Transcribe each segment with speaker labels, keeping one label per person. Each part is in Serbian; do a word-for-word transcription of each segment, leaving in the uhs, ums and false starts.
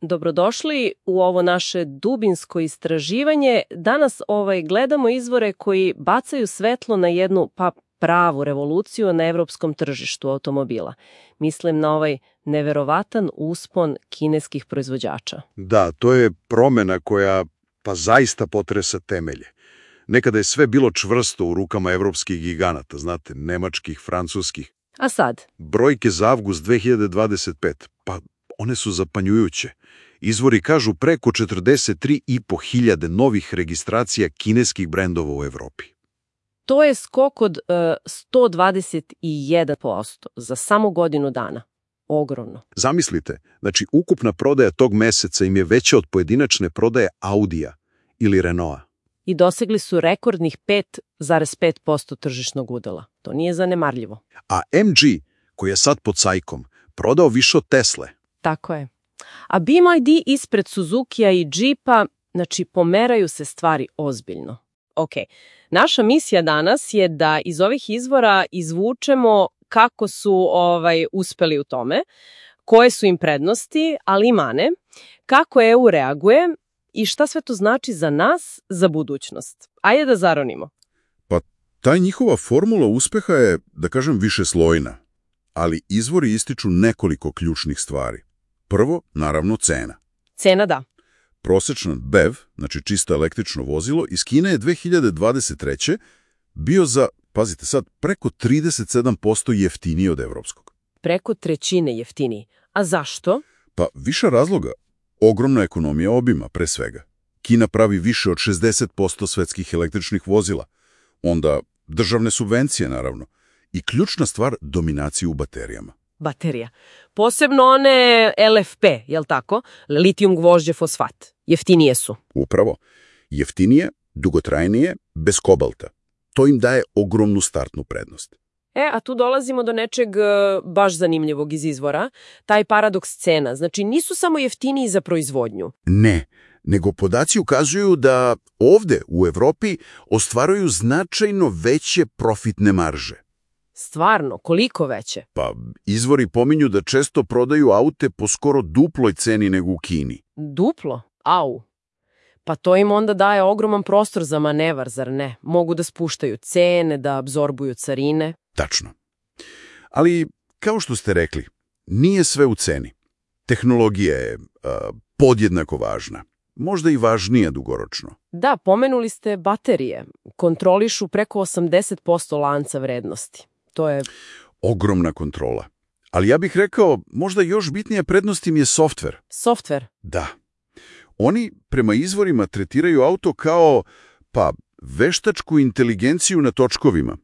Speaker 1: Dobrodošli u ovo naše dubinsko istraživanje. Danas ovaj, gledamo izvore koji bacaju svetlo na jednu pa pravu revoluciju na evropskom tržištu automobila. Mislim na ovaj neverovatan uspon kineskih proizvođača.
Speaker 2: Da, to je promjena koja pa zaista potresa temelje. Nekada je sve bilo čvrsto u rukama evropskih giganata, znate, nemačkih, francuskih.
Speaker 1: A sad?
Speaker 2: Brojke za avgust dve hiljade dvadeset pete, pa one su zapanjujuće. Izvori kažu preko četrdeset tri i po hiljade novih registracija kineskih brendova u Evropi.
Speaker 1: To je skok od uh, sto dvadeset jedan posto za samo godinu dana. Ogromno.
Speaker 2: Zamislite, znači ukupna prodaja tog meseca im je veća od pojedinačne prodaje Audija ili Renaulta.
Speaker 1: I dosegli su rekordnih pet zarez pet posto tržišnog udela. To nije zanemarljivo.
Speaker 2: A em ge, koji je sad pod cajkom, prodao više od Tesle.
Speaker 1: Tako je. A B M W ispred Suzukija i Jeepa, znači pomeraju se stvari ozbiljno. Ok, naša misija danas je da iz ovih izvora izvučemo kako su ovaj uspeli u tome, koje su im prednosti, ali i mane, kako E U reaguje i šta sve to znači za nas, za budućnost. Ajde da zaronimo.
Speaker 3: Pa ta njihova formula uspeha je, da kažem, višeslojna, ali izvori ističu nekoliko ključnih stvari. Prvo, naravno, cena.
Speaker 1: Cena da.
Speaker 3: Prosječan B E V, znači čisto električno vozilo, iz Kine je dve hiljade dvadeset treće bio za, pazite sad, preko trideset sedam posto jeftiniji od evropskog.
Speaker 1: Preko trećine jeftiniji. A zašto?
Speaker 3: Pa više razloga. Ogromna ekonomija obima, pre svega. Kina pravi više od šezdeset posto svetskih električnih vozila. Onda državne subvencije, naravno. I ključna stvar, dominaciju u baterijama.
Speaker 1: Baterija. Posebno one L F P, jel tako? Litijum gvožđe fosfat. Jeftinije su.
Speaker 3: Upravo. Jeftinije, dugotrajnije, bez kobalta. To im daje ogromnu startnu prednost.
Speaker 1: E, a tu dolazimo do nečeg baš zanimljivog iz izvora. Taj paradoks cena. Znači, nisu samo jeftiniji za proizvodnju.
Speaker 3: Ne, nego podaci ukazuju da ovde u Evropi ostvaruju značajno veće profitne marže.
Speaker 1: Stvarno, koliko veće?
Speaker 3: Pa, izvori pominju da često prodaju aute po skoro duploj ceni nego u Kini.
Speaker 1: Duplo? Au. Pa to im onda daje ogroman prostor za manevar, zar ne? Mogu da spuštaju cene, da apzorbuju carine.
Speaker 3: Tačno. Ali, kao što ste rekli, nije sve u ceni. Tehnologija je a, podjednako važna. Možda i važnija dugoročno.
Speaker 1: Da, pomenuli ste baterije. Kontrolišu preko osamdeset posto lanca vrednosti. To je
Speaker 3: ogromna kontrola. Ali ja bih rekao, možda još bitnija prednost im je softver.
Speaker 1: Softver?
Speaker 3: Da. Oni prema izvorima tretiraju auto kao, pa, veštačku inteligenciju na točkovima.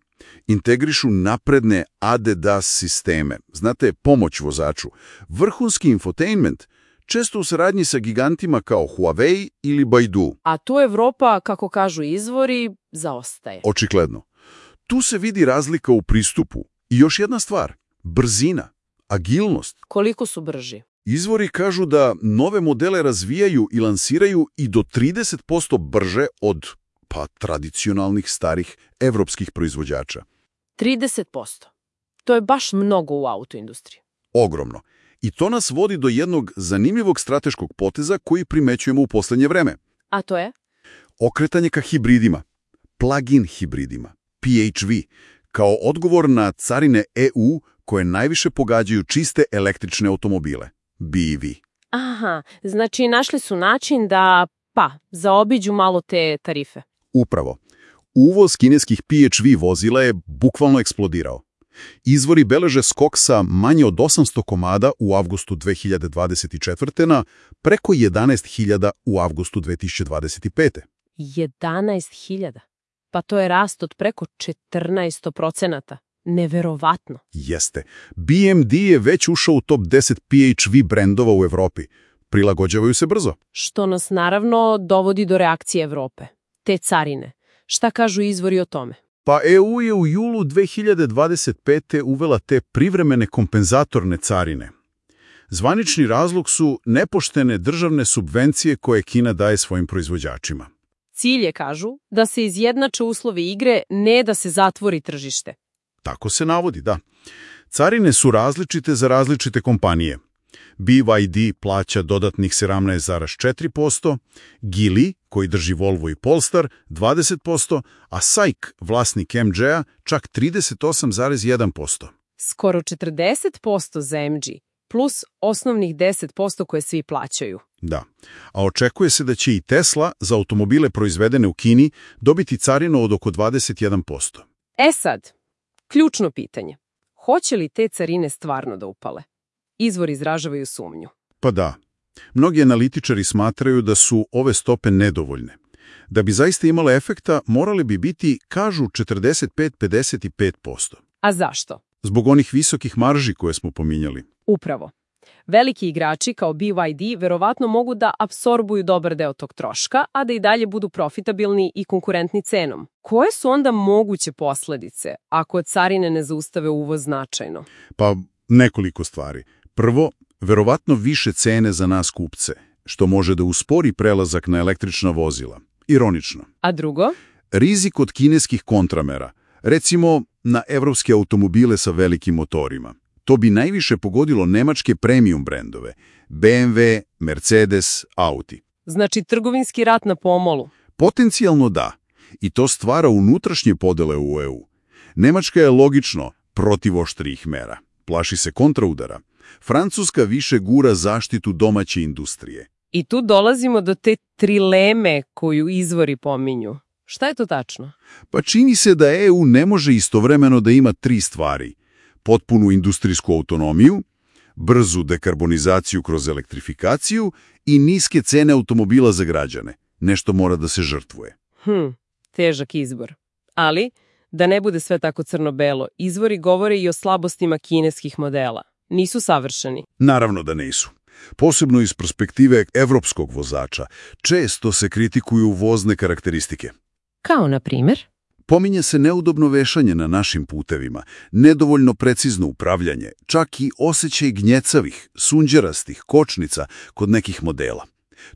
Speaker 3: Integrišu napredne A D A S sisteme. Znate, pomoć vozaču. Vrhunski infotainment, često u saradnji sa gigantima kao Huawei ili Baidu.
Speaker 1: A tu Evropa, kako kažu izvori, zaostaje.
Speaker 3: Očigledno. Tu se vidi razlika u pristupu. I još jedna stvar, brzina, agilnost.
Speaker 1: Koliko su brži?
Speaker 3: Izvori kažu da nove modele razvijaju i lansiraju i do trideset posto brže od, pa, tradicionalnih starih evropskih proizvođača.
Speaker 1: trideset posto. To je baš mnogo u autoindustriji.
Speaker 3: Ogromno. I to nas vodi do jednog zanimljivog strateškog poteza koji primećujemo u posljednje vreme.
Speaker 1: A to je?
Speaker 3: Okretanje ka hibridima, plug-in hibridima, P H V, kao odgovor na carine E U koje najviše pogađaju čiste električne automobile, B E V.
Speaker 1: Aha, znači našli su način da, pa, zaobiđu malo te tarife.
Speaker 3: Upravo. Uvoz kineskih P H V vozila je bukvalno eksplodirao. Izvori beleže skok sa manje od osamsto komada u avgustu dve hiljade dvadeset četvrte na preko jedanaest hiljada u avgustu dve hiljade dvadeset pete.
Speaker 1: jedanaest hiljada? Pa to je rast od preko četrnaest procenata. Neverovatno.
Speaker 3: Jeste. B M W je već ušao u top deset P H V brendova u Evropi. Prilagođavaju se brzo.
Speaker 1: Što nas naravno dovodi do reakcije Evrope. Te carine. Šta kažu izvori o tome?
Speaker 3: Pa E U je u julu dve hiljade dvadeset pete uvela te privremene kompenzatorne carine. Zvanični razlog su nepoštene državne subvencije koje Kina daje svojim proizvođačima.
Speaker 1: Cilj je, kažu, da se izjednače uslovi igre, ne da se zatvori tržište.
Speaker 3: Tako se navodi, da. Carine su različite za različite kompanije. B Y D plaća dodatnih sedamnaest zarez četiri posto, Geely, koji drži Volvo i Polestar, dvadeset posto, a S A I K, vlasnik M G-a, čak trideset osam zarez jedan posto.
Speaker 1: Skoro četrdeset posto za M G, plus osnovnih deset posto koje svi plaćaju.
Speaker 3: Da, a očekuje se da će i Tesla za automobile proizvedene u Kini dobiti carinu od oko dvadeset jedan posto.
Speaker 1: E sad, ključno pitanje. Hoće li te carine stvarno da upale? Izvori izražavaju sumnju.
Speaker 3: Pa da. Mnogi analitičari smatraju da su ove stope nedovoljne. Da bi zaista imale efekta, morali bi biti, kažu, četrdeset pet do pedeset pet posto.
Speaker 1: A zašto?
Speaker 3: Zbog onih visokih marži koje smo pominjali.
Speaker 1: Upravo. Veliki igrači kao B Y D verovatno mogu da apsorbuju dobar deo tog troška, a da i dalje budu profitabilni i konkurentni cenom. Koje su onda moguće posledice ako carine ne zaustave uvoz značajno?
Speaker 3: Pa nekoliko stvari. Prvo, verovatno više cene za nas kupce, što može da uspori prelazak na električna vozila. Ironično.
Speaker 1: A drugo?
Speaker 3: Rizik od kineskih kontramera, recimo na evropske automobile sa velikim motorima. To bi najviše pogodilo nemačke premium brendove, B M W, Mercedes, Audi.
Speaker 1: Znači trgovinski rat na pomolu?
Speaker 3: Potencijalno da. I to stvara unutrašnje podele u E U. Nemačka je logično protiv oštrijih mera. Plaši se kontraudara. Francuska više gura zaštitu domaće industrije.
Speaker 1: I tu dolazimo do te trileme koju izvori pominju. Šta je to tačno?
Speaker 3: Pa čini se da E U ne može istovremeno da ima tri stvari. Potpunu industrijsku autonomiju, brzu dekarbonizaciju kroz elektrifikaciju i niske cene automobila za građane. Nešto mora da se žrtvuje.
Speaker 1: Hm, težak izbor. Ali, da ne bude sve tako crno-belo, izvori govore i o slabostima kineskih modela. Nisu savršeni.
Speaker 3: Naravno da nisu. Posebno iz perspektive evropskog vozača. Često se kritikuju vozne karakteristike.
Speaker 1: Kao na primjer?
Speaker 3: Pominje se neudobno vešanje na našim putevima, nedovoljno precizno upravljanje, čak i osjećaj gnjecavih, sunđerastih kočnica kod nekih modela.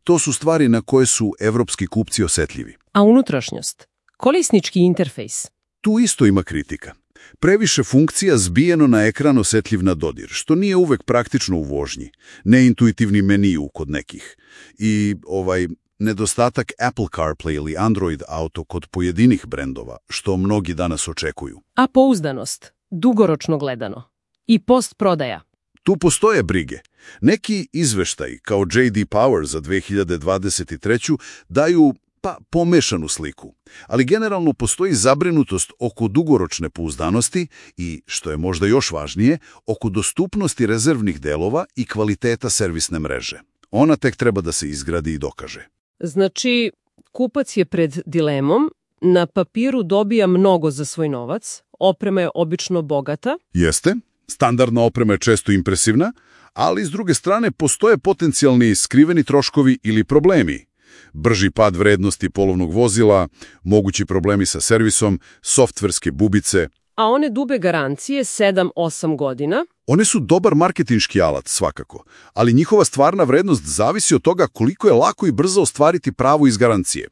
Speaker 3: To su stvari na koje su evropski kupci osjetljivi.
Speaker 1: A unutrašnjost? Korisnički interfejs?
Speaker 3: Tu isto ima kritika. Previše funkcija zbijeno na ekran osjetljiv na dodir, što nije uvek praktično u vožnji. Neintuitivni meniju kod nekih. I ovaj nedostatak Apple CarPlay ili Android Auto kod pojedinih brendova, što mnogi danas očekuju.
Speaker 1: A pouzdanost, dugoročno gledano. I postprodaja.
Speaker 3: Tu postoje brige. Neki izveštaji, kao J D Power za dve hiljade dvadeset treću, daju pa pomešanu sliku. Ali generalno postoji zabrinutost oko dugoročne pouzdanosti i, što je možda još važnije, oko dostupnosti rezervnih delova i kvaliteta servisne mreže. Ona tek treba da se izgradi i dokaže.
Speaker 1: Znači, kupac je pred dilemom, na papiru dobija mnogo za svoj novac, oprema je obično bogata.
Speaker 3: Jeste, standardna oprema je često impresivna, ali s druge strane postoje potencijalni skriveni troškovi ili problemi. Brži pad vrednosti polovnog vozila, mogući problemi sa servisom, softverske bubice.
Speaker 1: A one dube garancije sedam osam godina?
Speaker 3: One su dobar marketinški alat, svakako, ali njihova stvarna vrednost zavisi od toga koliko je lako i brzo ostvariti pravo iz garancije.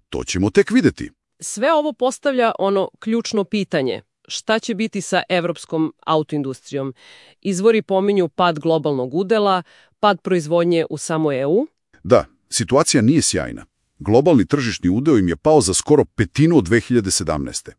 Speaker 3: To ćemo tek vidjeti.
Speaker 1: Sve ovo postavlja ono ključno pitanje. Šta će biti sa evropskom autoindustrijom? Izvori pominju pad globalnog udela, pad proizvodnje u samoj E U?
Speaker 3: Da, situacija nije sjajna. Globalni tržišni udeo im je pao za skoro petinu od dve hiljade sedamnaeste.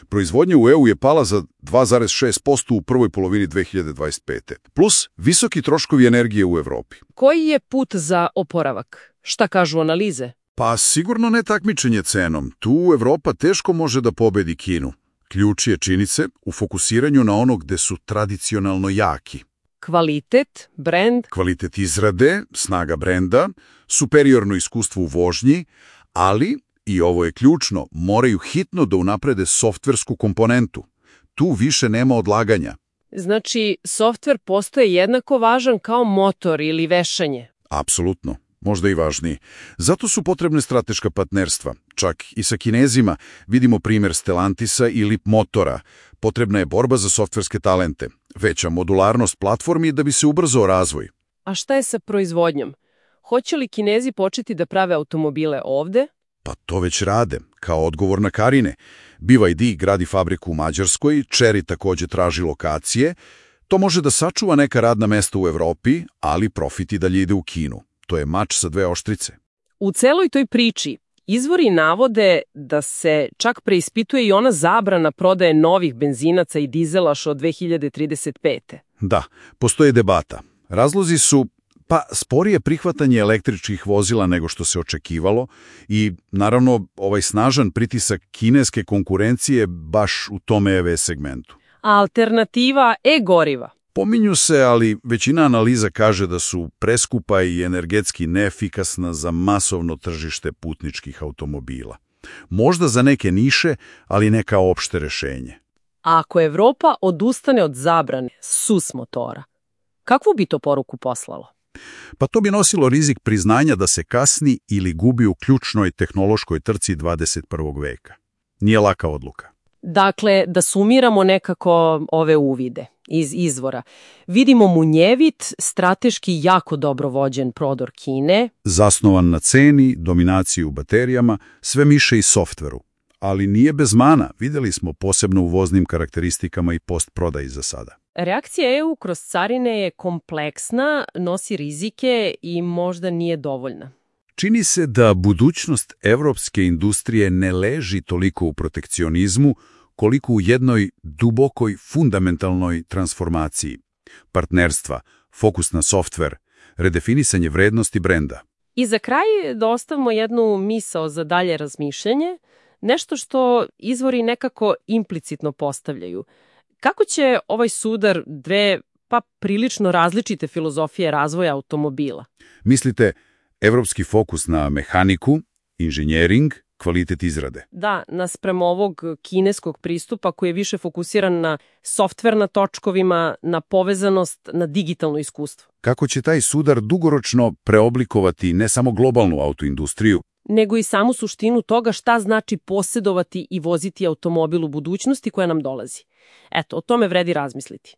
Speaker 3: Proizvodnja u E U je pala za dva zarez šest posto u prvoj polovini dve hiljade dvadeset pete. Plus visoki troškovi energije u Evropi.
Speaker 1: Koji je put za oporavak? Šta kažu analize?
Speaker 3: Pa sigurno ne takmičenje cenom. Tu Evropa teško može da pobedi Kinu. Ključ je, čini se, u fokusiranju na ono gde su tradicionalno jaki.
Speaker 1: Kvalitet, brend.
Speaker 3: Kvalitet izrade, snaga brenda, superiorno iskustvo u vožnji, ali, i ovo je ključno, moraju hitno da unaprede softversku komponentu. Tu više nema odlaganja.
Speaker 1: Znači, softver postaje jednako važan kao motor ili vešanje.
Speaker 3: Apsolutno. Možda i važniji. Zato su potrebne strateška partnerstva. Čak i sa Kinezima vidimo primjer Stellantisa ili Motora. Potrebna je borba za softverske talente. Veća modularnost platformi da bi se ubrzao razvoj.
Speaker 1: A šta je sa proizvodnjom? Hoće li Kinezi početi da prave automobile ovde?
Speaker 3: Pa to već rade, kao odgovor na Karine. B Y D gradi fabriku u Mađarskoj, Chery također traži lokacije. To može da sačuva neka radna mesta u Evropi, ali profit i dalje ide u Kinu. To je mač sa dve oštrice.
Speaker 1: U celoj toj priči izvori navode da se čak preispituje i ona zabrana prodaje novih benzinaca i dizelaša od dve hiljade trideset pete.
Speaker 3: Da, postoje debata. Razlozi su, pa, sporije prihvatanje električnih vozila nego što se očekivalo i, naravno, ovaj snažan pritisak kineske konkurencije baš u tom E V segmentu.
Speaker 1: A alternativa e-goriva?
Speaker 3: Pominju se, ali većina analiza kaže da su preskupa i energetski neefikasna za masovno tržište putničkih automobila. Možda za neke niše, ali ne kao opšte rešenje.
Speaker 1: A ako Evropa odustane od zabrane S U S motora, kakvu bi to poruku poslalo?
Speaker 3: Pa to bi nosilo rizik priznanja da se kasni ili gubi u ključnoj tehnološkoj trci dvadeset prvog veka. Nije laka odluka.
Speaker 1: Dakle, da sumiramo nekako ove uvide iz izvora. Vidimo munjevit, strateški jako dobro vođen prodor Kine.
Speaker 3: Zasnovan na ceni, dominaciji u baterijama, sve miše i softveru. Ali nije bez mana, vidjeli smo posebno u voznim karakteristikama i postprodaji za sada.
Speaker 1: Reakcija E U kroz carine je kompleksna, nosi rizike i možda nije dovoljna.
Speaker 3: Čini se da budućnost evropske industrije ne leži toliko u protekcionizmu, koliko u jednoj dubokoj, fundamentalnoj transformaciji. Partnerstva, fokus na softver, redefinisanje vrednosti brenda.
Speaker 1: I za kraj da ostavimo jednu misao za dalje razmišljanje, nešto što izvori nekako implicitno postavljaju. Kako će ovaj sudar dve, pa prilično različite filozofije razvoja automobila?
Speaker 3: Mislite, evropski fokus na mehaniku, inženjering, kvalitet izrade.
Speaker 1: Da, naspram ovog kineskog pristupa koji je više fokusiran na softver na točkovima, na povezanost, na digitalno iskustvo.
Speaker 3: Kako će taj sudar dugoročno preoblikovati ne samo globalnu autoindustriju,
Speaker 1: nego i samu suštinu toga šta znači posjedovati i voziti automobil u budućnosti koja nam dolazi. Eto, o tome vredi razmisliti.